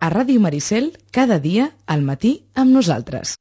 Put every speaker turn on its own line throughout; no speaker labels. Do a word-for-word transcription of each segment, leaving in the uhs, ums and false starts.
a Ràdio Maricel, cada dia, al matí, amb nosaltres.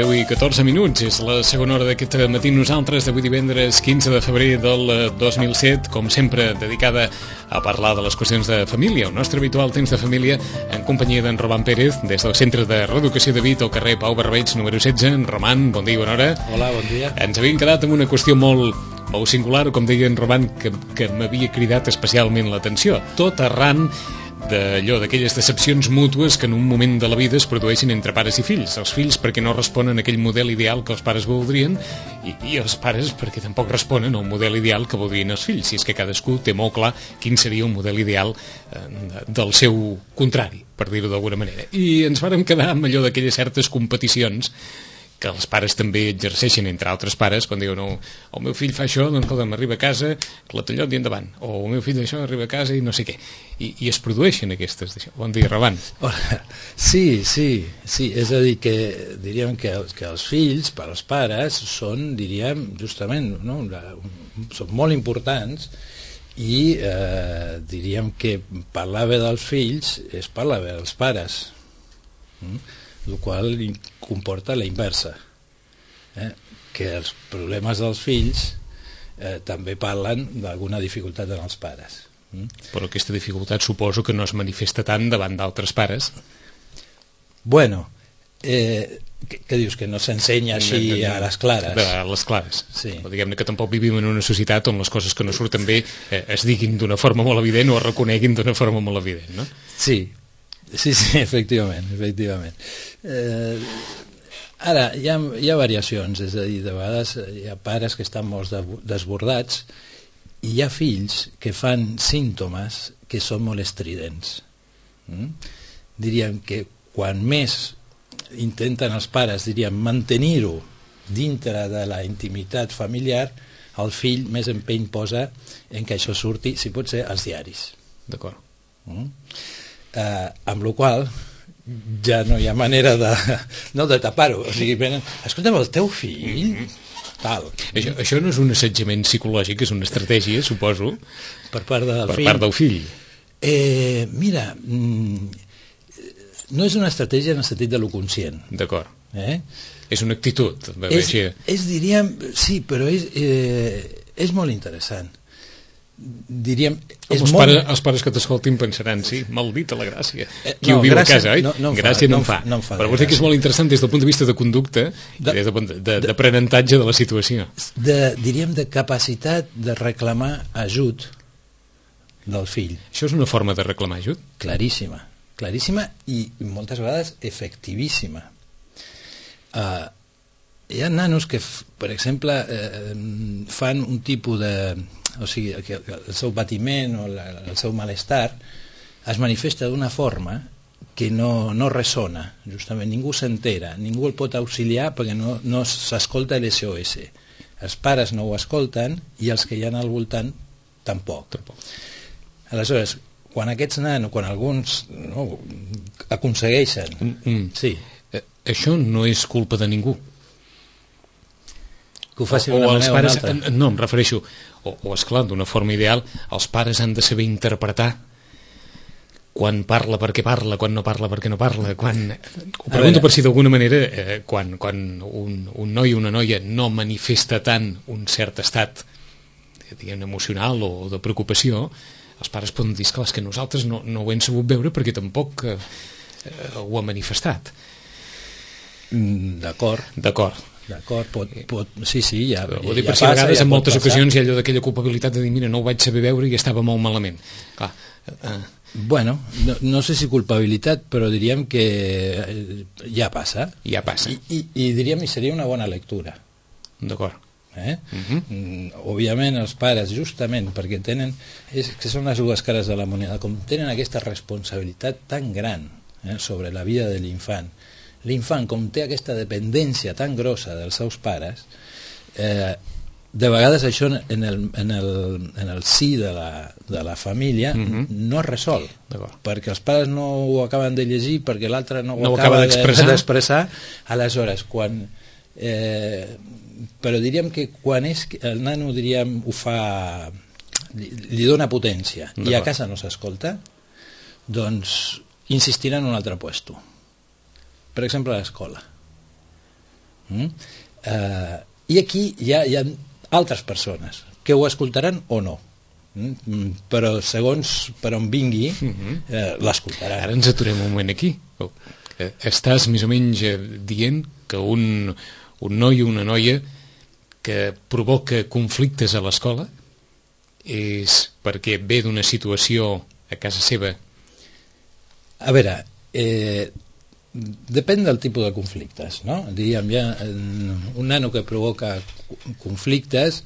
deu i catorze minuts, és la segona hora d'aquest matí nosaltres, d'avui divendres quinze de febrer del dos mil set, com sempre dedicada a parlar de les qüestions de família, el nostre habitual temps de família, en companyia d'en Roman Pérez, des del Centre de Reeducació de Vic, al carrer Pau Barbeig, número setze. En Roman, bon dia i bona hora.
Hola, bon dia.
Ens havíem quedat amb una qüestió molt, molt singular, com deia en Roman, que, que m'havia cridat especialment l'atenció, tot arran d'allò, d'aquelles decepcions mútues que en un moment de la vida es produeixen entre pares i fills. Els fills perquè no responen a aquell model ideal que els pares voldrien i, i els pares perquè tampoc responen al model ideal que voldrien els fills. Si és que cadascú té molt clar quin seria un model ideal eh, del seu contrari, per dir-ho d'alguna manera. I ens vàrem quedar amb allò d'aquelles certes competicions que els pares també exerceixen entre altres pares quan diuen, no, el meu fill fa això, doncs escolta, m'arriba a casa, clatallot i endavant, o el meu fill això arriba a casa i no sé què, i, i es produeixen aquestes d'això. Bon dia, Roman.
Hola. Sí, sí, sí, és a dir que diríem que, que els fills per als pares són, diríem, justament, no? Són molt importants i eh, diríem que parlar bé dels fills és parlar bé dels pares, mm? el qual comporta la inversa, eh? que els problemes dels fills eh, també parlen d'alguna dificultat en els pares. Mm?
Però aquesta dificultat suposo que no es manifesta tant davant d'altres pares.
Bueno, eh, què, què dius, que no s'ensenya així a les clares?
A les clares.
Sí.
O diguem-ne que tampoc vivim en una societat on les coses que no surten bé eh, es diguin d'una forma molt evident o es reconeguin d'una forma molt evident, no?
Sí. Sí, sí, efectivament, efectivament. Eh, ara, hi ha, hi ha variacions, és a dir, de vegades hi ha pares que estan molt desbordats i hi ha fills que fan símptomes que són molt estridents. Mm? Diríem que quan més intenten els pares, diríem, mantenir-ho dintre de la intimitat familiar, el fill més empeny posa en que això surti, si pot ser, als diaris.
D'acord.
Mm? Uh, amb la qual ja no hi ha manera de, no, de tapar-ho. O sigui, escolta'm, el teu fill mm-hmm. tal.
Això, això no és un assetjament psicològic, és una estratègia, suposo,
per part del
per
fill.
part del fill.
Eh, mira, mm, no és una estratègia en el sentit de lo conscient.
D'acord.
Eh?
És una actitud.
És, és, diríem, sí, però és, eh, és molt interessant. Diríem, és
els,
molt...
pares, els pares que t'escoltin pensaran, sí, maldita la gràcia,
eh,
qui
no,
ho viu
gràcia,
a casa, oi?
No, no
gràcia
fa,
no
en
fa,
no em fa
però vull dir que és molt interessant des del punt de vista de conducta de, i des del d'aprenentatge de, de la situació,
de, diríem de capacitat de reclamar ajut del fill.
Això és una forma de reclamar ajut?
Claríssima, claríssima i moltes vegades efectivíssima. Uh, hi ha nanos que, per exemple, eh, fan un tipus de... o sigui, que el seu patiment o la, el seu malestar es manifesta d'una forma que no, no ressona, justament ningú s'entera, ningú el pot auxiliar perquè no, no s'escolta l'S O S. Els pares no ho escolten i els que hi ha al voltant tampoc. tampoc. Aleshores, quan aquests nanos, quan alguns no, aconsegueixen...
Mm, mm.
Sí.
Eh, això no és culpa de ningú.
Que ho faci
o,
d'una
o
manera
pares,
o una altra.
no, em refereixo, o, o esclar, d'una forma ideal, els pares han de saber interpretar quan parla perquè parla, quan no parla perquè no parla, quan... Ho pregunto per si d'alguna manera, eh, quan, quan un, un noi o una noia no manifesta tant un cert estat, diguem, emocional o de preocupació, els pares poden dir, esclar, és que nosaltres no, no ho hem sabut veure perquè tampoc eh, ho ha manifestat.
D'acord.
D'acord.
D'acord, pot, pot, sí, sí, ja,
ho
ja,
dic
ja
per si a
passa,
vegades
ja
en
pot
moltes
passar.
ocasions hi ha allò d'aquella culpabilitat de dir, mira, no ho vaig saber veure i estava molt malament. Clar, eh,
Bueno, no, no sé si culpabilitat, però diríem que eh, ja passa.
ja passa.
I, i, i diríem que seria una bona lectura.
D'acord.
Eh?
Mhm.
Mm, òbviament els pares, justament perquè tenen, és que són les dues cares de la moneda, com tenen aquesta responsabilitat tan gran eh, sobre la vida de l'infant, l'infant com té aquesta dependència tan grossa dels seus pares, eh, de vegades això en el, en el, en el si de la, de la família
Mhm.
no es resol,
D'acord.
perquè els pares no ho acaben de llegir, perquè l'altre no,
No ho
ho
acaba
acaba de-
d'expressar.
d'expressar. Aleshores, quan eh, però diríem que quan és que el nano, diríem, ho fa, li, li dona potència i a
D'acord.
casa no s'escolta, doncs insistirà en un altre puesto, per exemple a l'escola. Mm? Eh, i aquí hi ha, hi ha altres persones que ho escoltaran o no, mm? però segons per on vingui eh, l'escoltaran.
Ara ens aturem un moment aquí. Oh, eh, Estàs més o menys eh, dient que un, un noi o una noia que provoca conflictes a l'escola és perquè ve d'una situació a casa seva.
A veure, eh, depèn del tipus de conflictes, no? Diríem, ja, un nano que provoca conflictes,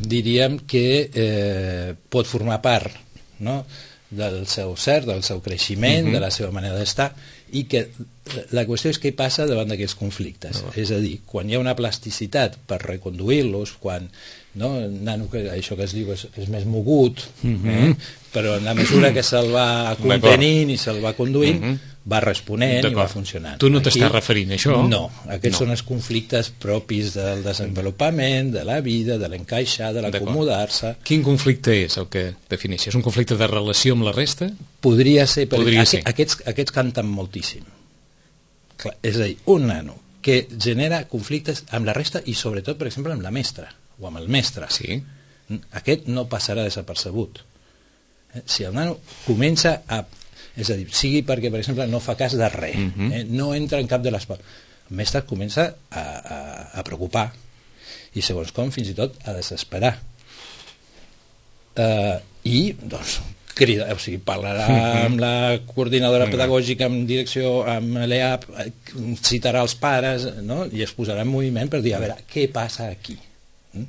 diríem que eh, pot formar part, no?, del seu ser, del seu creixement,
Mhm.
de la seva manera d'estar, i que la qüestió és què passa davant d'aquests conflictes.
No.
És a dir, quan hi ha una plasticitat per reconduir-los, quan, no, el nano, que això que es diu és, és més mogut,
Mhm.
eh? però en la mesura que se'l va contenint i se'l va conduint,
Mhm.
va responent i
D'acord.
va funcionant.
Tu no
Aquí-
t'estàs referint a això?
No, aquests
No.
són els conflictes propis del desenvolupament, de la vida, de l'encaixar, de l'acomodar-se.
Quin conflicte és el que defineixes? És un conflicte de relació amb la resta?
Podria ser, per
Podria
aqu
ser.
Aquests, aquests canten moltíssim. Clar, és a dir, un nano que genera conflictes amb la resta i sobretot, per exemple, amb la mestra o amb el mestre.
Sí.
Aquest no passarà desapercebut. Eh, Si el nano comença a... És a dir, sigui perquè, per exemple, no fa cas de res,
Mhm.
eh, no entra en cap de les parts, el mestre comença a, a, a preocupar i, segons com, fins i tot a desesperar. Eh, I, doncs, crida, o sigui, parlarà amb la coordinadora pedagògica, amb direcció, amb l'E A P, eh, citarà els pares, no?, i es posarà en moviment per dir, a veure, què passa aquí? Mm?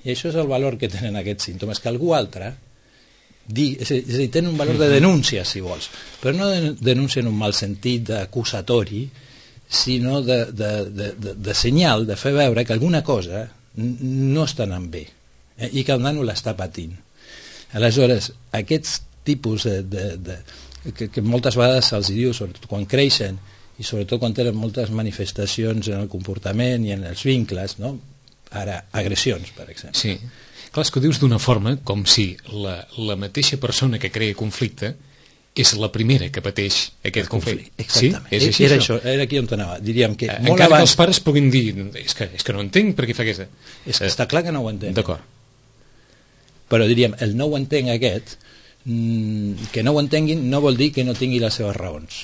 I això és el valor que tenen aquests símptomes, que algú altre di, és a dir, és a dir, tenen un valor de denúncia, si vols, però no de denúncia en un mal sentit d'acusatori, sinó de, de, de, de, de senyal, de fer veure que alguna cosa n- no està anant bé, eh, i que el nano l'està patint. Aleshores, aquests tipus de, de, de, que, que moltes vegades se'ls diu, sobretot quan creixen i sobretot quan tenen moltes manifestacions en el comportament i en els vincles, no? Ara, agressions, per exemple.
Sí. Clar, és que ho dius d'una forma com si la, la mateixa persona que crea conflicte és la primera que pateix aquest conflicte.
Exactament.
Sí? És així,
era
això?
això, era aquí on anava. Diríem que
Eh,
molt
Encara que
abans...
els pares puguin dir és que, és que no entenc per què fa aquesta...
És que està clar que no ho entenc.
D'acord.
Però diríem, el no ho entenc aquest, mm, que no ho entenguin no vol dir que no tingui les seves raons,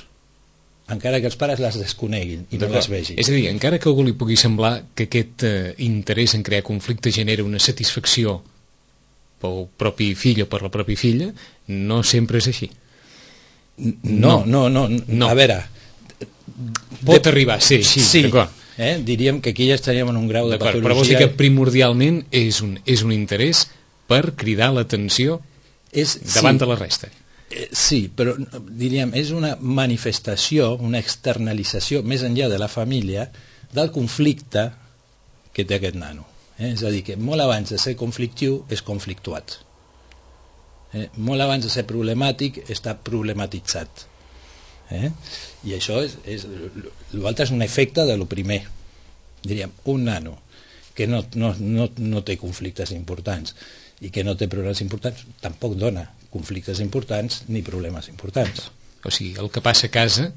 encara que els pares les desconeguin i no les vegin.
És a dir, encara que a algú li pugui semblar que aquest eh, interès en crear conflicte genera una satisfacció pel propi fill o per la pròpia filla, no sempre és així.
No, no, no, no.
No.
A veure...
Pot arribar a ser així,
sí,
d'acord.
eh? Diríem que aquí ja estaríem en un grau de
D'acord,
patologia...
però vols dir que primordialment és un, és un interès per cridar l'atenció
és,
davant
sí,
de la resta.
eh, sí, però diríem, és una manifestació, una externalització més enllà de la família del conflicte que té aquest nano. Eh? És a dir, que molt abans de ser conflictiu és conflictuat. Eh? Molt abans de ser problemàtic està problematitzat. Eh? I això és, és l'altre és un efecte de lo primer. Diríem, un nano que no, no, no, no té conflictes importants i que no té problemes importants, tampoc dona conflictes importants ni problemes importants.
O sigui, el que passa a casa,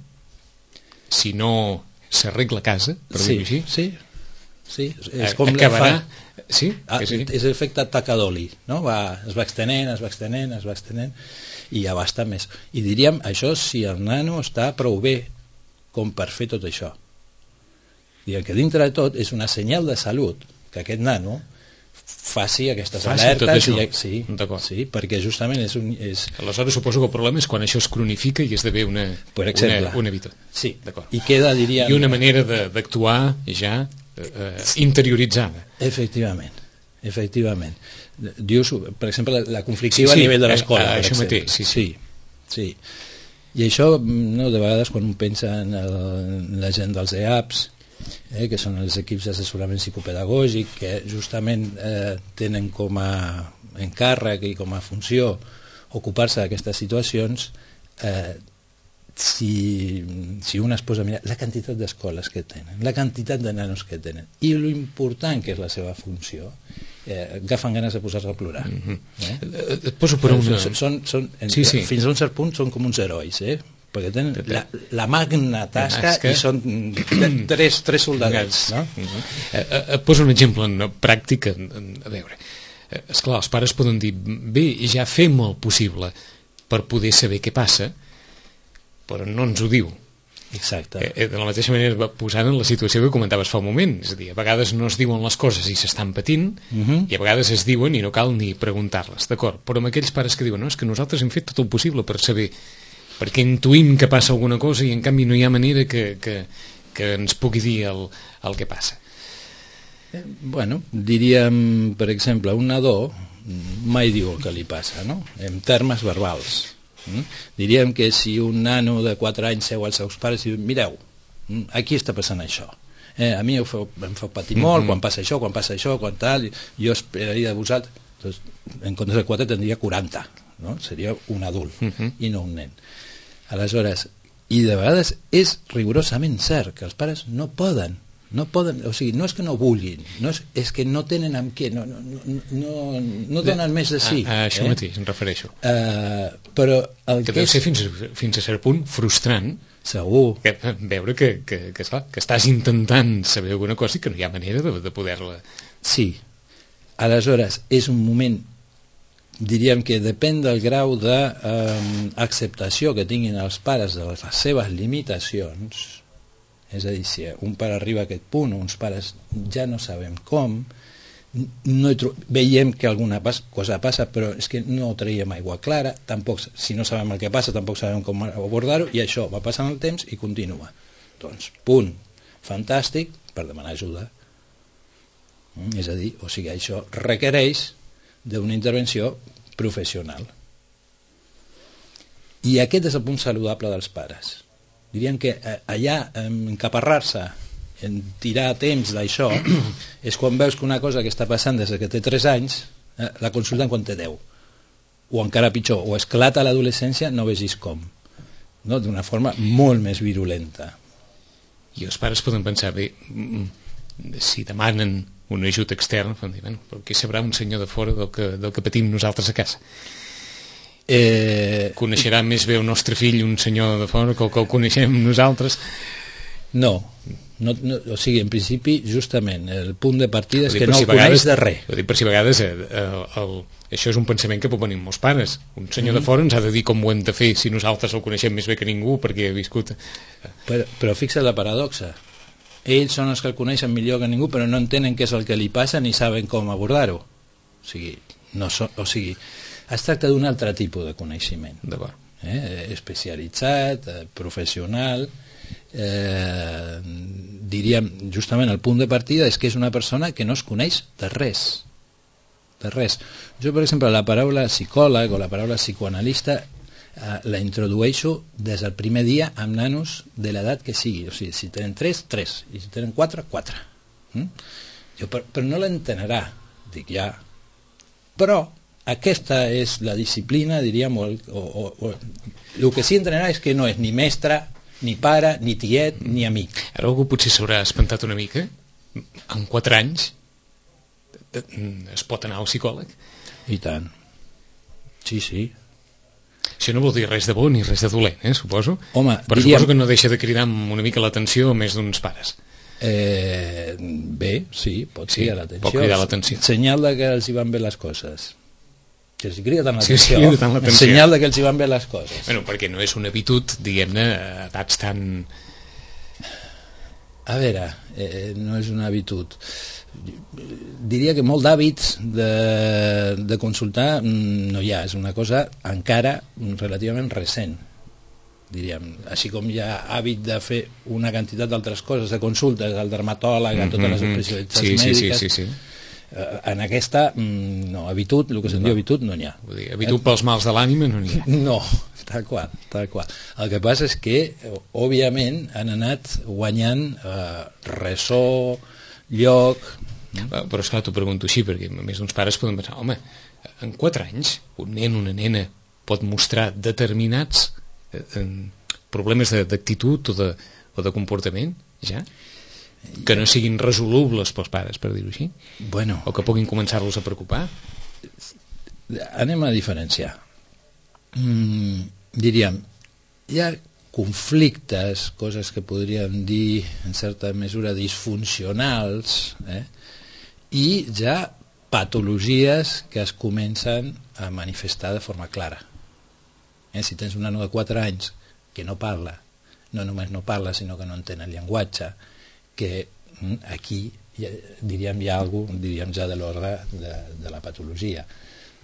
si no s'arregla a casa, per
Sí,
dir-ho així,
sí, sí, és
a-
com
acabarà...
fa-
Sí?
Ah,
és així?
és l'efecte taca d'oli, no? Va, es va extenent, es va extenent, es va extenent i ja basta més. I diríem, això si el nano està prou bé com per fer tot això. Diguem que dintre de tot és una senyal de salut que aquest nano faci aquestes
faci
alertes
i,
sí, sí, perquè justament és un... És...
Aleshores suposo que el problema és quan això es cronifica i esdevé una,
per exemple,
una, una habituat.
Sí, i queda, diríem...
I una manera d'actuar ja eh, interioritzada.
Efectivament, efectivament. Dius, per exemple, la conflictiva
sí, sí,
a nivell de l'escola.
Eh, això mateix, sí, sí.
sí, sí. I això, no, de vegades, quan un pensa en, el, en la gent dels E A Ps, eh, que són els equips d'assessorament psicopedagògic, que justament eh, tenen com a encàrrec i com a funció ocupar-se d'aquestes situacions, eh, si, si un es posa a mirar la quantitat d'escoles que tenen, la quantitat de nanos que tenen i lo important que és la seva funció, eh, agafen ganes de posar-se a plorar.
Mm-hmm. eh? Et poso per una...
Són, són,
sí, sí.
Fins a un cert punt són com uns herois, eh? Perquè tenen la, la magna tasca i són tres, tres soldadets, no?
Uh-huh. eh, et poso un exemple no, pràctic a, a veure, eh, esclar, els pares poden dir bé, ja fem el possible per poder saber què passa, però no ens ho diu.
Exacte.
Eh, de la mateixa manera, posant en la situació que comentaves fa un moment, és a dir, a vegades no es diuen les coses i s'estan patint, uh-huh. i a vegades es diuen i no cal ni preguntar-les, d'acord? Però amb aquells pares que diuen, no, és que nosaltres hem fet tot el possible per saber, perquè intuïm que passa alguna cosa i en canvi no hi ha manera que, que, que ens pugui dir el, el que passa.
Eh, bueno, diríem, per exemple, un nadó mai diu el que li passa, no? En termes verbals. Mm? Diríem que si un nano de quatre anys seu als seus pares i diu, mireu, aquí està passant això, eh, a mi em fa, em fa patir molt, mm-hmm. quan passa això, quan passa això, quan tal, jo esperaria de vosaltres, doncs, en comptes de quatre tindria quaranta, no? Seria un adult, mm-hmm. i no un nen. Aleshores, i de vegades és rigorosament cert que els pares no poden, no poden, o sigui, no és que no vulguin, no és, és que no tenen amb què, no, no, no, no, no donen més de sí.
A, a això
eh?
mateix, em refereixo.
Uh, però el
que,
que
deu
és...
ser fins, fins a cert punt frustrant.
Segur.
Que, veure que, que, que, esclar, que estàs intentant saber alguna cosa i que no hi ha manera de, de poder-la...
Sí. Aleshores, és un moment, diríem que depèn del grau d'acceptació que tinguin els pares de les seves limitacions. És a dir, si un pare arriba a aquest punt, uns pares ja no sabem com, no veiem que alguna pas, cosa passa, però és que no traiem aigua clara, tampoc, si no sabem el que passa, tampoc sabem com abordar-ho, i això va passant el temps i continua. Doncs, punt, fantàstic, per demanar ajuda. Mm, és a dir, o sigui, això requereix d'una intervenció professional. I aquest és el punt saludable dels pares. Diríem que allà encaparrar-se en tirar temps d'això és quan veus que una cosa que està passant des que té tres anys eh, la consulten quan té deu, o encara pitjor, o esclata a l'adolescència, no vegis com, no? D'una forma molt més virulenta.
I els pares poden pensar, bé, si demanen un ajut extern, dir, bueno, però què sabrà un senyor de fora del que, del que patim nosaltres a casa? Eh, coneixerà més bé el nostre fill un senyor de fora que el que el coneixem nosaltres?
No, no, no, o sigui, en principi, justament, el punt de partida és que no el coneix de res.
Ho dic per si a vegades eh, el, el, això és un pensament que pot venir molts pares. Un senyor mm. de fora ens ha de dir com ho hem de fer si nosaltres el coneixem més bé que ningú perquè ha viscut...
Però, però fixa't la paradoxa. Ells són els que el coneixen millor que ningú, però no entenen què és el que li passa ni saben com abordar-ho. O sigui, no so, o sigui, es tracta d'un altre tipus de coneixement, eh? especialitzat, eh, professional, eh, diríem, justament el punt de partida és que és una persona que no es coneix de res, de res. Jo, per exemple, la paraula psicòleg o la paraula psicoanalista eh, la introdueixo des del primer dia amb nanos de l'edat que sigui, o sigui, si tenen tres, tres, i si tenen quatre, quatre. Mm? Jo, però, però no l'entenarà, dic ja, però aquesta és la disciplina, diríem, o, o, o, o, el que sí entrenarà és que no és ni mestre, ni pare, ni tiet, ni amic.
Ara algú potser s'haurà espantat una mica. En quatre anys es pot anar al psicòleg?
I tant. Sí, sí.
Això no vol dir res de bo ni res de dolent, eh, suposo.
Home,
però
diríem...
suposo que no deixa de cridar una mica l'atenció a més d'uns pares.
Eh, bé, sí, pot
sí,
cridar l'atenció.
Pot cridar l'atenció.
Senyal de que els hi van bé les coses. Que els hi crida tant
l'atenció.
Sí, sí, senyal de que els hi van bé les coses.
Bueno, perquè no és una habitud, diguem-ne, a edats tan...
A veure, eh, no és una habitud. Diria que molt d'hàbits de, de consultar no hi ha, és una cosa encara relativament recent, diríem. Així com hi ha hàbit de fer una quantitat d'altres coses, de consultes al dermatòleg, a totes les especialitats
sí,
mèdiques,
sí, sí, sí, sí.
En aquesta, no, habitud, el que se'n diu habitud, no n'hi ha.
Vull dir, habitud pels mals de l'ànima no n'hi ha.
No, tal qual, tal qual. El que passa és que, òbviament, han anat guanyant eh, ressò, lloc...
Però, esclar, t'ho pregunto així, perquè a més d'uns pares poden pensar, home, en quatre anys un nen, una nena, pot mostrar determinats eh, problemes d'actitud o, de, o de comportament, ja? Que no siguin resolubles pels pares, per dir-ho així?
Bueno.
O que puguin començar-los a preocupar?
Anem a diferenciar. Mm, diríem, hi ha conflictes, coses que podríem dir en certa mesura disfuncionals, eh? I ja patologies que es comencen a manifestar de forma clara. Eh? Si tens un nano de quatre anys que no parla, no només no parla, sinó que no entén el llenguatge, que aquí diríem hi ha alguna cosa, diríem ja de l'ordre de, de la patologia.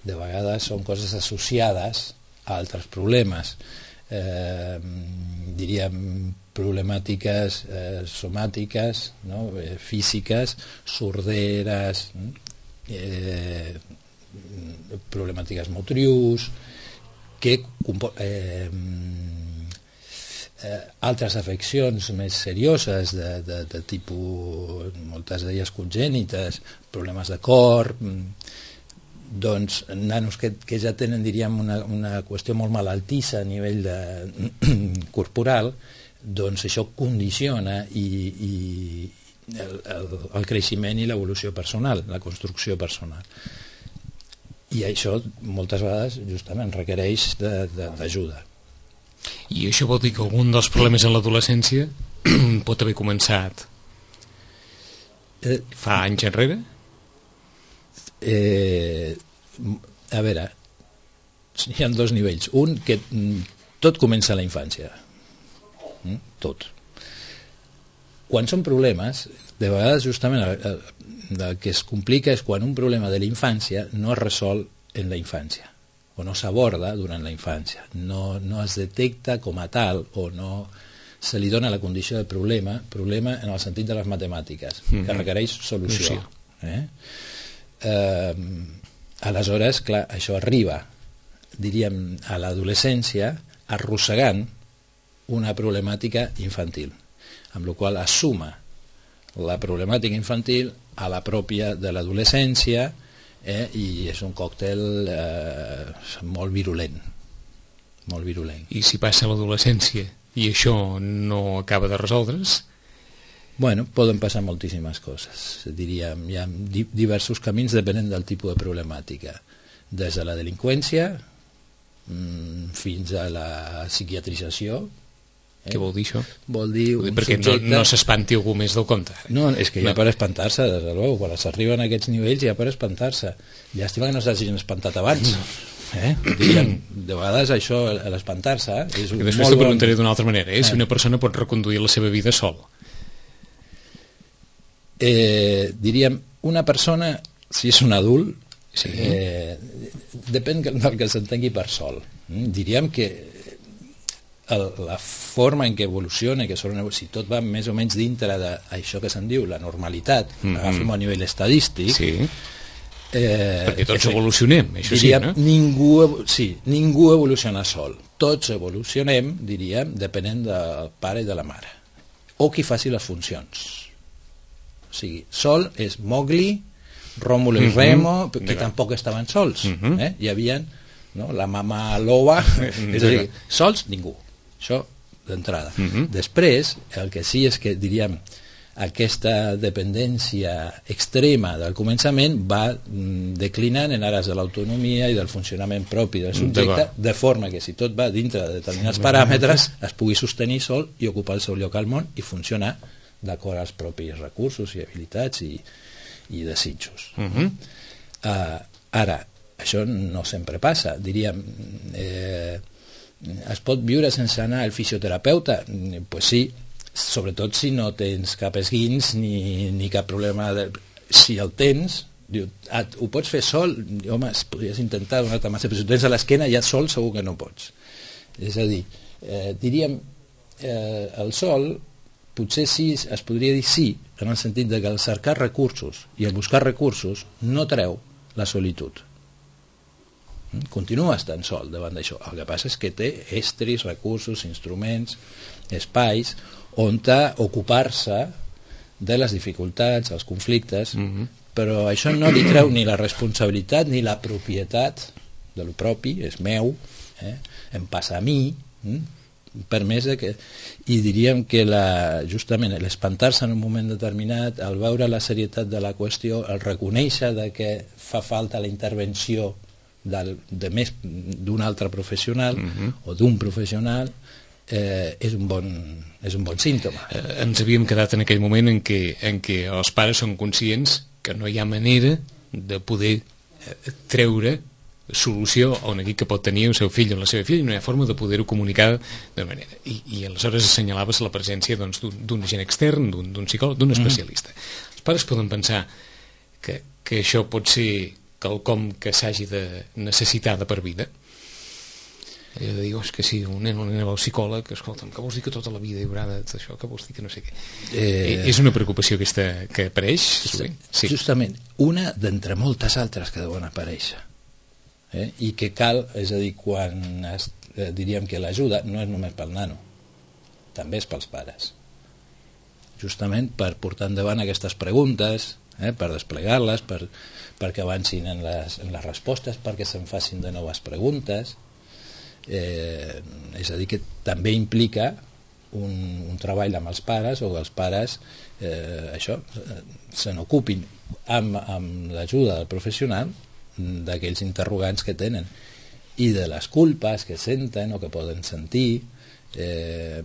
De vegades són coses associades a altres problemes, eh, diríem problemàtiques eh, somàtiques, no? eh, físiques, sorderes, eh, problemàtiques motrius, que eh, Eh, altres afeccions més serioses de, de, de tipus, moltes d'elles congènites, problemes de cor, doncs nanos que, que ja tenen, diríem, una, una qüestió molt malaltissa a nivell de, corporal, doncs això condiciona i, i el, el, el creixement i l'evolució personal, la construcció personal. I això moltes vegades justament requereix d'ajuda.
I això vol dir que algun dels problemes en l'adolescència pot haver començat eh, fa anys enrere?
Eh, a veure, hi ha dos nivells. Un, que tot comença a la infància. Tot. Quan són problemes, de vegades justament el, el, el que es complica és quan un problema de la infància no es resol en la infància, o no s'aborda durant la infància, no, no es detecta com a tal, o no se li dona la condició de problema, problema en el sentit de les matemàtiques, mm-hmm. que requereix solució. Eh? Eh, aleshores, clar, això arriba, diríem, a l'adolescència, arrossegant una problemàtica infantil, amb la qual cosa assuma la problemàtica infantil a la pròpia de l'adolescència, Eh, i és un còctel eh, molt virulent, molt virulent.
I si passa l'adolescència i això no acaba de resoldre's?
Bueno, poden passar moltíssimes coses. Diríem, hi ha di diversos camins depenent del tipus de problemàtica, des de la delinqüència mm, fins a la psiquiatrització.
Eh? Què vol dir això?
Vol dir un
perquè
subjecte...
no, no s'espanti algú més del compte.
No, és que ja no. Per espantar-se, des de luego, quan s'arriben a aquests nivells ja per espantar-se. Llàstima que no s'hagin espantat abans. Eh? Diríem, de vegades això, l'espantar-se... Eh? És un
I després t'ho preguntaré
bon...
d'una altra manera, eh? Si una persona pot reconduir la seva vida sol.
Eh, diríem, una persona, si és un adult,
sí.
eh, depèn del que s'entengui per sol. Diríem que el, la forma en què evoluciona, que són, si tot va més o menys dintre d'això que se'n diu la normalitat, mm-hmm. agafem a nivell estadístic,
sí.
eh,
perquè tots efect, evolucionem, això
diríem,
sí, no?
Ningú, sí, ningú evoluciona sol, tots evolucionem, diríem, depenent del pare i de la mare, o qui faci les funcions. O sigui, sol és Mowgli, Rómulo i Remo, mm-hmm. que tampoc estaven sols, mm-hmm. eh? Hi havia, no? La mama loba, és a dir, sols ningú. Això d'entrada. Uh-huh. Després, el que sí és que, diríem, aquesta dependència extrema del començament va mm, declinant en ares de l'autonomia i del funcionament propi del subjecte, de forma que si tot va dintre de determinats paràmetres es pugui sostenir sol i ocupar el seu lloc al món i funcionar d'acord als propis recursos i habilitats i, i desitjos. Uh-huh. uh, ara, això no sempre passa. Diríem... Eh, es pot viure sense anar al fisioterapeuta? Pues sí, sobretot si no tens cap esguins ni, ni cap problema de... si el tens, diu, ah, ho pots fer sol? Home, podries intentar donar-te massa, però si ho tens a l'esquena ja sol segur que no pots. És a dir, eh, diríem eh, el sol potser sí, es podria dir sí, en el sentit de que el cercar recursos i el buscar recursos no treu la solitud. Continua estant sol davant d'això. El que passa és que té estris, recursos, instruments, espais on ocupar-se de les dificultats, els conflictes, mm-hmm. però això no li treu ni la responsabilitat ni la propietat de lo propi, és meu, eh? Em passa a mi, eh? Per més que... I diríem que la, justament l'espantar-se en un moment determinat, el veure la serietat de la qüestió, el reconèixer de que fa falta la intervenció del, de més d'un altre professional mm-hmm. o d'un professional, eh, és, un bon, és un bon símptoma.
Eh, ens havíem quedat en aquell moment en què, en què els pares són conscients que no hi ha manera de poder eh, treure solució a un neguit que pot tenir el seu fill o la seva filla i no hi ha forma de poder-ho comunicar de manera. I, i aleshores assenyalaves la presència doncs, d'un agent extern, d'un psicòleg, d'un especialista. Mm. Els pares poden pensar que, que això pot ser quelcom que s'hagi de necessitar de per vida. Allò de dir, oh, és que si un nen o una nena va al psicòleg, escolta'm, què vols dir que tota la vida hi haurà d'això, què vols dir que no sé què. Eh... És una preocupació aquesta que apareix?
Sí. Justament, una d'entre moltes altres que deuen aparèixer. Eh? I que cal, és a dir, quan es, eh, diríem que l'ajuda no és només pel nano, també és pels pares, justament per portar endavant aquestes preguntes, eh? Per desplegar-les, per, perquè avancin en les, en les respostes, perquè se'n facin de noves preguntes, eh, és a dir, que també implica un, un treball amb els pares, o que els pares eh, això, se n'ocupin amb, amb l'ajuda del professional d'aquells interrogants que tenen i de les culpes que senten o que poden sentir, eh,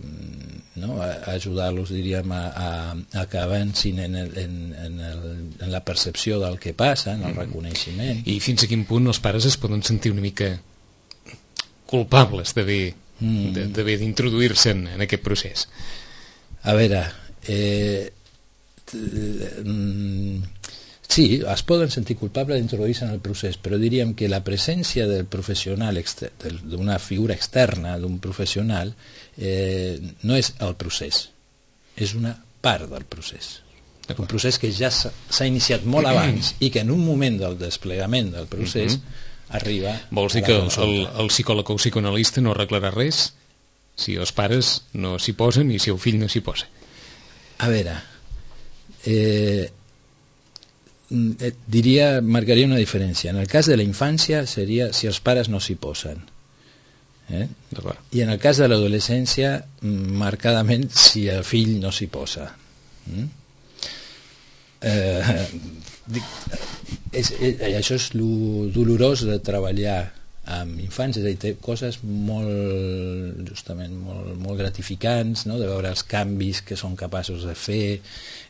no? Ajudar-los, diríem, a, a, a que avancin en, el, en, en, el, en la percepció del que passa, en el reconeixement.
I fins a quin punt els pares es poden sentir una mica culpables d'haver mm. d'haver d'introduir-se en, en aquest procés?
A veure, eh, mm, sí, es poden sentir culpables d'introduir-se en el procés, però diríem que la presència del professional, d'una figura externa, d'un professional, eh, no és el procés, és una part del procés. Un procés que ja s'ha iniciat molt abans i que en un moment del desplegament del procés uh-huh. arriba...
Vols dir que el, el, el psicòleg o el psicoanalista no arreglarà res si els pares no s'hi posen i si el fill no s'hi posa?
A veure... Eh, diria, marcaria una diferència. En el cas de la infància seria si els pares no s'hi posen, eh? I en el cas de l'adolescència marcadament si el fill no s'hi posa. mm? eh, és, és, això és lo dolorós de treballar amb infants, és a dir, té coses molt, justament, molt, molt gratificants, no? De veure els canvis que són capaços de fer,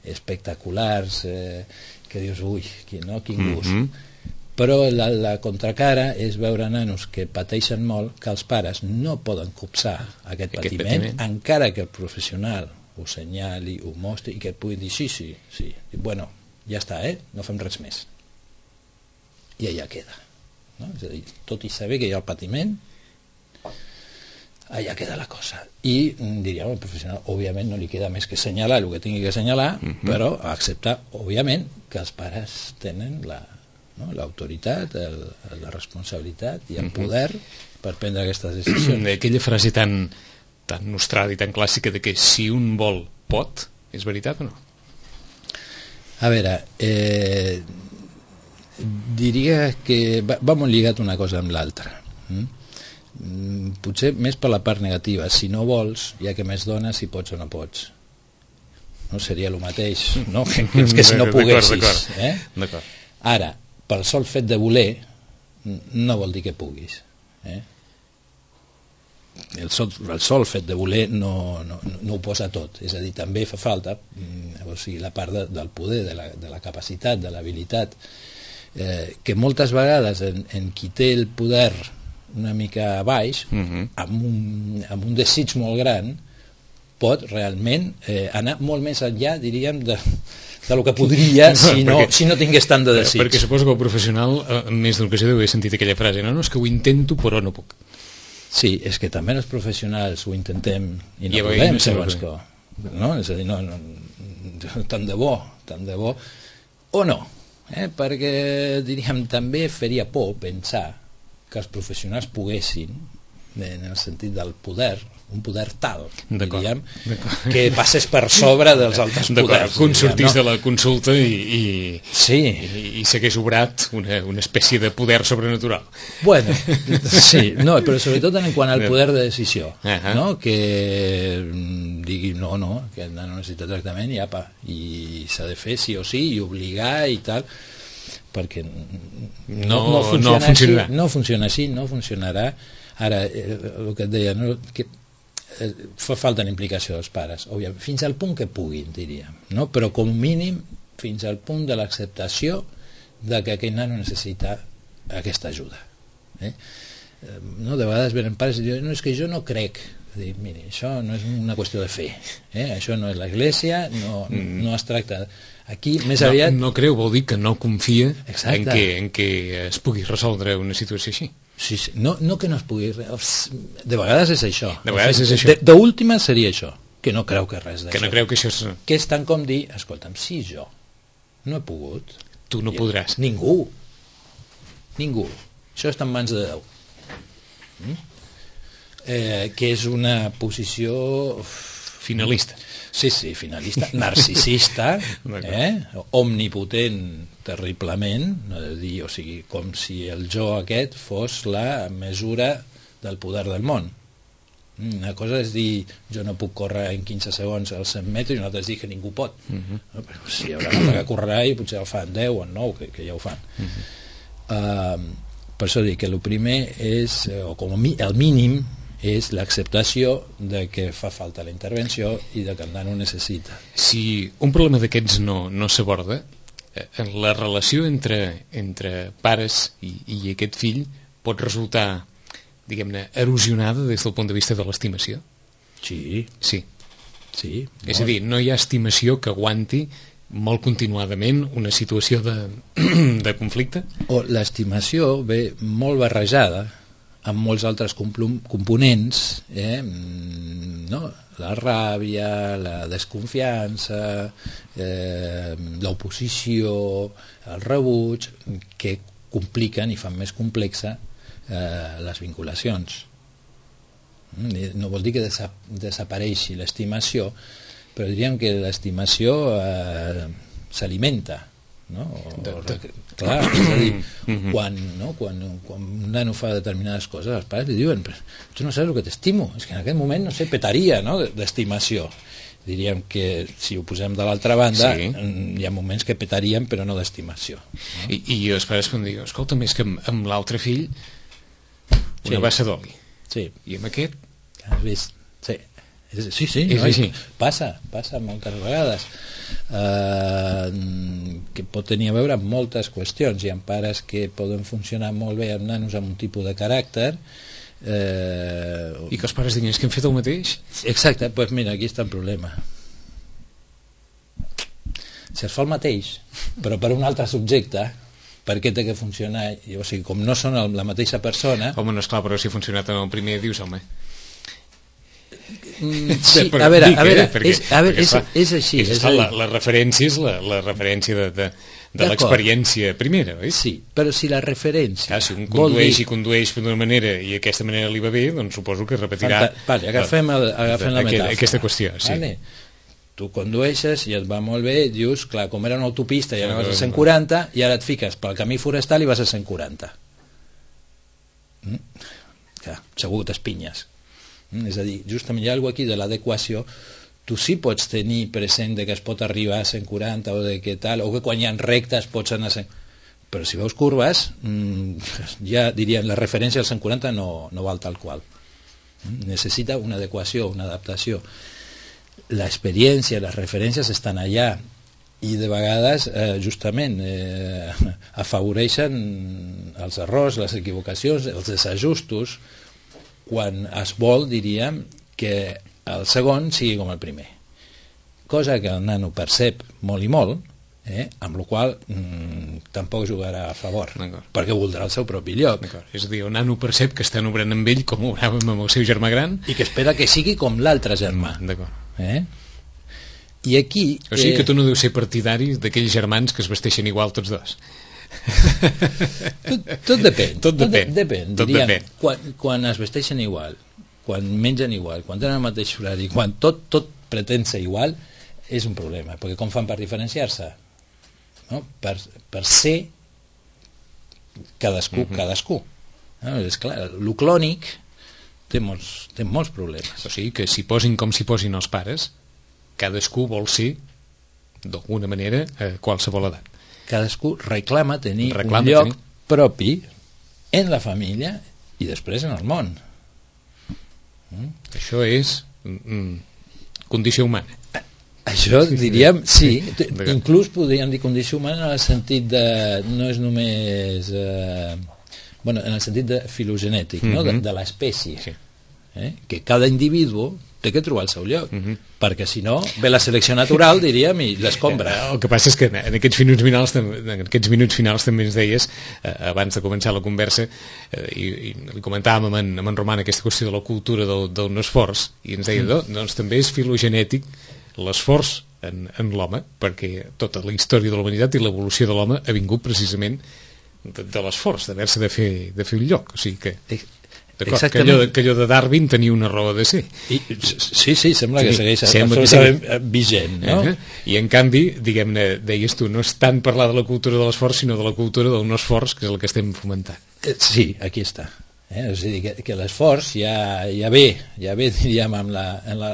espectaculars, eh, que dius, ui, quin, no? Quin gust. Mm-hmm. Però la, la contracara és veure nanos que pateixen molt, que els pares no poden copsar aquest, aquest patiment, patiment, encara que el professional ho senyali, ho mostri, i que et pugui dir, sí, sí, sí, i, bueno, ja està, eh? No fem res més. I allà queda. No? És a dir, tot i saber que hi ha el patiment, allà queda la cosa. I diríem, el professional òbviament no li queda més que assenyalar el que tingui que assenyalar, uh-huh. però acceptar òbviament que els pares tenen la, no? l'autoritat, el, la responsabilitat i el uh-huh. poder per prendre aquestes decisions.
Aquella frase tan, tan nostrada i tan clàssica de que si un vol pot, és veritat o no?
A veure, eh, diria que va, va molt lligat una cosa amb l'altra. Mm? Potser més per la part negativa. Si no vols, ja que més dones, si pots o no pots. No seria el mateix, no? Que, que, que si no poguessis.
D'acord,
eh?
d'acord.
Ara, pel sol fet de voler, no vol dir que puguis. Eh? El, sol, el sol fet de voler no, no, no ho posa tot. És a dir, també fa falta o sigui, la part de, del poder, de la, de la capacitat, de l'habilitat, eh, que moltes vegades en, en qui té el poder una mica baix, uh-huh. amb, un, amb un desig molt gran, pot realment eh, anar molt més enllà, diríem, de, de lo que podria si no, perquè, si no tingués tant de desig.
Perquè suposo que el professional, en més d'una ocasió, deu haver sentit aquella frase, no, no, és que ho intento però no puc.
Sí, és que també els professionals ho intentem i no
I
podem,
no
segons que... No? És a dir, no, no, tant de bo, tant de bo, o no, eh? Perquè, diríem, també faria por pensar que els professionals poguessin, en el sentit del poder, un poder tal, diríem, que passés per sobre dels altres poders.
Que un sortís no? de la consulta i, i,
sí.
i, i s'hagués obrat una, una espècie de poder sobrenatural.
Bueno, sí, no, però sobretot en quant al poder de decisió,
uh -huh.
no? Que digui no, no, que no necessita tractament i apa, i s'ha de fer sí o sí i obligar i tal, perquè no, no, no, funciona, no funcionarà. Així, no funciona així, no funcionarà. Ara, eh, el que et deia, no? Que eh, fa falta la implicació dels pares, òbviament, fins al punt que puguin, diríem, no? Però com mínim fins al punt de l'acceptació de que aquell nano necessita aquesta ajuda. Eh? No? De vegades venen pares i diuen, no, és que jo no crec. Dir, miri, això no és una qüestió de fe, eh? Això no és l'església, no, no es tracta... Aquí, més
no,
aviat...
No creu, vol dir que no confia
Exacte.
en que, en que es pugui resoldre una situació així.
Sí, sí. No, no que no es pugui... De vegades és això.
De vegades és això.
D'última seria això, que no creu que res d'això.
Que no creu que això és...
Que és tant com dir, escolta'm, si jo no he pogut...
Tu no podràs.
Ningú. Ningú. Això està en mans de Déu. Mm? Eh, que és una posició...
Finalista.
Sí, sí, finalista, narcisista, eh? Omnipotent terriblement, no de dir, o sigui, com si el jo aquest fos la mesura del poder del món. Una cosa és dir, jo no puc córrer en quinze segons als cent metres, i una altra és dir que ningú pot. Uh -huh. No? Però si hi haurà una que correrà i potser el fan deu o nou, que, que ja ho fan. Uh -huh. uh, per això dic que el primer és, o com el mínim, és l'acceptació de que fa falta la intervenció i de que el nano necessita.
Si un problema d'aquests no, no s'aborda, eh, la relació entre, entre pares i, i aquest fill pot resultar, diguem-ne, erosionada des del punt de vista de l'estimació?
Sí.
Sí.
Sí.
És a dir, no hi ha estimació que aguanti molt continuadament una situació de, de conflicte?
O l'estimació ve molt barrejada amb molts altres components, eh? No? La ràbia, la desconfiança, eh, l'oposició, el rebuig, que compliquen i fan més complexa eh, les vinculacions. No vol dir que desa desapareixi l'estimació, però diríem que l'estimació eh, s'alimenta, no? O,
de, de...
clar, és a dir, quan, no? quan, quan un nano fa determinades coses, els pares li diuen, tu no saps el que t'estimo, és que en aquest moment, no sé, petaria, no?, d'estimació. Diríem que si ho posem de l'altra banda, sí, hi ha moments que petaríem, però no d'estimació, no?
I, i els pares quan diuen, escolta, més que amb, amb l'altre fill una sí. bassa d'oli,
sí.
i amb aquest
has vist? Sí. Sí, sí,
és
no,
així.
Passa, passa moltes vegades. Uh, que pot tenir a veure amb moltes qüestions. Hi ha pares que poden funcionar molt bé amb nanos amb un tipus de caràcter. Uh,
I que els pares diguin, és que hem fet el mateix?
Exacte, doncs pues mira, aquí està el problema. Si es fa el mateix, però per un altre subjecte, per què té que funcionar? O sigui, com no són la mateixa persona...
Home, no, esclar, però si ha funcionat en el primer, dius, home...
Sí, a veure, a veure, és, a veure és, és així.
És, és la, la referència és la, la referència de, de, de l'experiència primera, oi?
Sí, però si la referència...
Ah, si un condueix dir... i condueix d'una manera i aquesta manera li va bé, doncs suposo que repetirà...
Fanta... Vale, agafem, el, agafem la metàfora.
Aquesta qüestió, sí.
Vale. Tu condueixes i et va molt bé, dius, clar, com era una autopista i anaves a cent quaranta, i ara et fiques pel camí forestal i vas a cent quaranta. Mm? Clar, segur que t'espinyes. És a dir, justament hi ha alguna cosa aquí de l'adequació. Tu sí pots tenir present de que es pot arribar a cent quaranta o de que tal, o que quan hi ha rectes pots anar a cent... Però si veus curves, ja dirien, la referència al cent quaranta no, no val tal qual. Necessita una adequació, una adaptació. L'experiència, les referències estan allà i de vegades eh, justament eh, afavoreixen els errors, les equivocacions, els desajustos, quan es vol, diríem, que el segon sigui com el primer. Cosa que el nano percep molt i molt, eh? amb la qual mm, tampoc jugarà a favor, perquè voldrà el seu propi lloc.
És a dir, el nano percep que estan obrant amb ell com obràvem amb el seu germà gran
i que espera que sigui com l'altre germà. Eh? I aquí...
O sigui que tu no deus ser partidari d'aquells germans que es vesteixen igual tots dos.
tot, tot depèn.
Tot depèn.
Tot depèn.
Tot
Diríem,
depèn.
Quan, quan es vesteixen igual, quan mengen igual, quan tenen el mateix horari, quan tot, tot pretén ser igual, és un problema, perquè com fan per diferenciar-se? No? Per, per ser cadascú, uh-huh. cadascú. No? És clar, el clònic té molts, té molts problemes.
O sigui que si posin com si posin els pares, cadascú vol ser d'alguna manera a qualsevol edat.
Cadascú reclama tenir
reclama
un lloc
tenir...
propi en la família i després en el món.
Mm? Això és mm, condició humana.
Això diríem, sí, inclús podríem dir condició humana en el sentit de, no és només eh, bueno, en el sentit de filogenètic, mm-hmm. no? de, de l'espècie, sí. eh? que cada individu té que trobar el seu lloc, mm-hmm. perquè si no ve la selecció natural, diríem, i l'escombra.
El que passa és que en aquests minuts finals, en aquests minuts finals també ens deies, eh, abans de començar la conversa, eh, i, i li comentàvem amb en, amb en Roman aquesta qüestió de la cultura del, del no esforç, i ens deia, mm. no, doncs també és filogenètic l'esforç en, en l'home, perquè tota la història de la humanitat i l'evolució de l'home ha vingut precisament de, de l'esforç, d'haver-se de fer, de fer un lloc. O sigui que, d'acord, que, allò, que allò de Darwin tenia una raó de ser.
I, sí, sí, sembla que segueix absolutament vigent, no? Uh-huh.
I en canvi, diguem-ne, deies tu, no és tant parlar de la cultura de l'esforç, sinó de la cultura del no esforç, que és el que estem fomentant.
Sí, aquí està. Eh? És a dir, que, que l'esforç ja, ja ve, ja ve, diríem, amb la... En la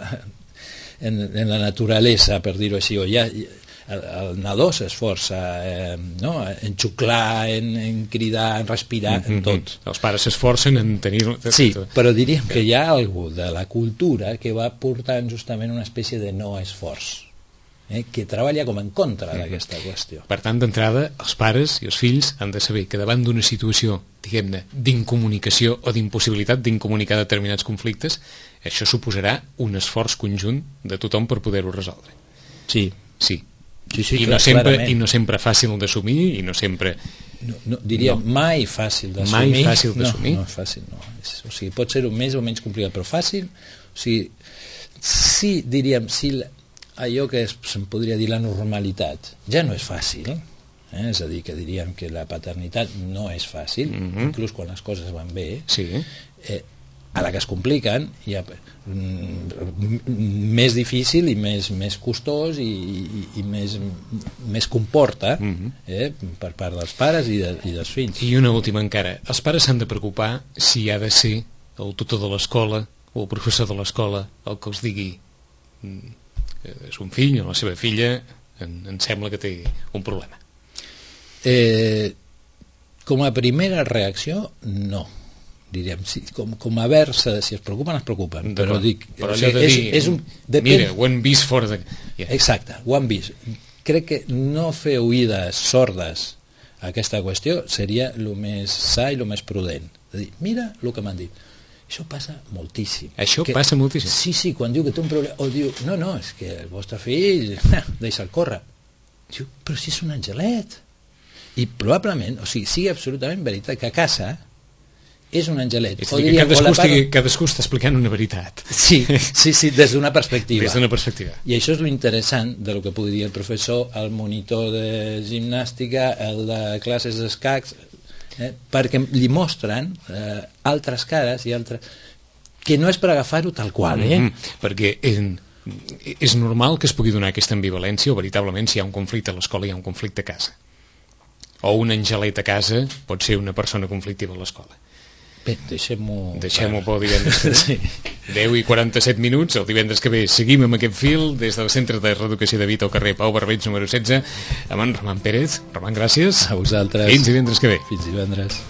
En, en la naturalesa, per dir-ho així, o ja, el, el nadó s'esforça eh, no? en xuclar, en, en cridar, en respirar, mm-hmm. en tot.
Els pares s'esforcen en tenir...
Sí, però diríem que hi ha algú de la cultura que va portant justament una espècie de no esforç, eh? que treballa com en contra mm-hmm. d'aquesta qüestió.
Per tant, d'entrada, els pares i els fills han de saber que davant d'una situació, diguem-ne, d'incomunicació o d'impossibilitat d'incomunicar determinats conflictes, això suposarà un esforç conjunt de tothom per poder-ho resoldre.
Sí.
Sí.
Sí, sí,
I,
clar,
no sempre,
clarament.
I no sempre fàcil d'assumir, i no sempre...
No, no, diríem, no. mai fàcil d'assumir.
Mai fàcil d'assumir.
No, no és fàcil, no. És, o sigui, pot ser un més o menys complicat, però fàcil. O sigui, sí, diríem, sí, allò que es, se'n podria dir la normalitat, ja no és fàcil, eh? És a dir, que diríem que la paternitat no és fàcil, mm-hmm. inclús quan les coses van bé,
sí.
eh, a la que es compliquen ja, mm, més difícil i més, més costós i, i, i més, més comporta mm-hmm. eh, per part dels pares i, de, i dels fills.
I una última encara, els pares s'han de preocupar si ha de ser el tutor de l'escola o el professor de l'escola el que els digui que és un fill o la seva filla en, em sembla que té un problema.
Eh, com a primera reacció, no. Diríem, si, com, com a vers, si es preocupen, es preocupen. Però, dic,
però allò de
és,
dir,
és un, depèn...
mira, ho han vist fora de... Yeah.
Exacte, ho han vist. Crec que no fer oïdes sordes a aquesta qüestió seria el més sa i el més prudent. De dir, mira el que m'han dit. Això passa moltíssim.
Això
que,
passa moltíssim?
Sí, sí, quan diu que té un problema, o diu, no, no, és que el vostre fill, deixa'l córrer. Diu, però si és un angelet. I probablement, o sigui, sigui absolutament veritat que a casa és un angelet.
És a dir, que cadascú, part... estigui, cadascú està explicant una veritat.
Sí, sí, sí, des d'una perspectiva.
Des d'una perspectiva.
I això és lo interessant de lo que pugui dir el professor, el monitor de gimnàstica, el de classes d'escacs, eh, perquè li mostren eh, altres cares i altres... que no és per agafar-ho tal qual, eh?
Mm-hmm, perquè en, és normal que es pugui donar aquesta ambivalència o veritablement si hi ha un conflicte a l'escola hi ha un conflicte a casa. O un angelet a casa pot ser una persona conflictiva a l'escola.
Bé, deixem-ho...
Deixem-ho pel divendres que ve. Sí. deu i quaranta-set minuts, el divendres que ve seguim amb aquest fil des del Centre de Reeducació de Vita al carrer Pau Barbeig número setze amb en Roman Pérez. Roman, gràcies.
A vosaltres.
Fins divendres que ve.
Fins divendres.